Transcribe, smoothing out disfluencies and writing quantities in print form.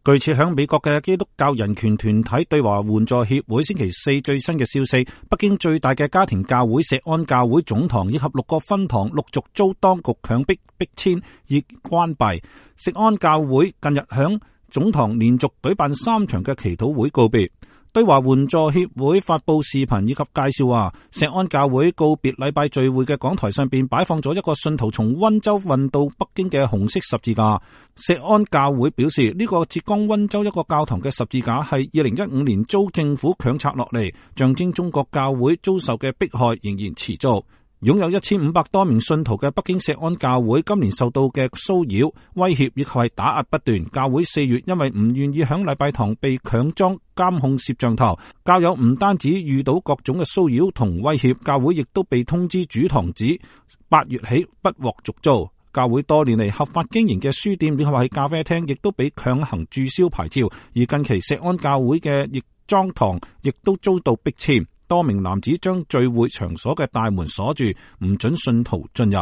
據設響美國嘅基督教人權團體對華援助協會星期四最新嘅消息，北京最大嘅家庭教會錫安教會總堂以及6個分堂陸續遭當局強迫逼遷而關閉。錫安教會近日響總堂連續舉辦3場嘅祈禱會告別。對華援助協會發佈視頻以及介紹話，錫安教會告別禮拜聚會嘅講台上邊擺放咗一個信徒從溫州運到北京嘅紅色十字架。錫安教會表示，呢個浙江溫州一個教堂嘅十字架係2015年遭政府強拆落嚟，象徵中國教會遭受嘅迫害仍然持續。擁有1500多名信徒嘅北京錫安教會今年受到嘅騷擾、威脅以及係打壓不斷。教會4月因為唔願意響禮拜堂被強裝監控攝像頭，教友唔單止遇到各種嘅騷擾同威脅，教會亦都被通知主堂指8月起不獲續租。教會多年嚟合法經營嘅書店以及係咖啡廳亦都被強行註銷牌照，而近期錫安教會嘅亦莊堂亦都遭到逼遷。多名男子將聚會場所嘅大門鎖住，唔准信徒進入。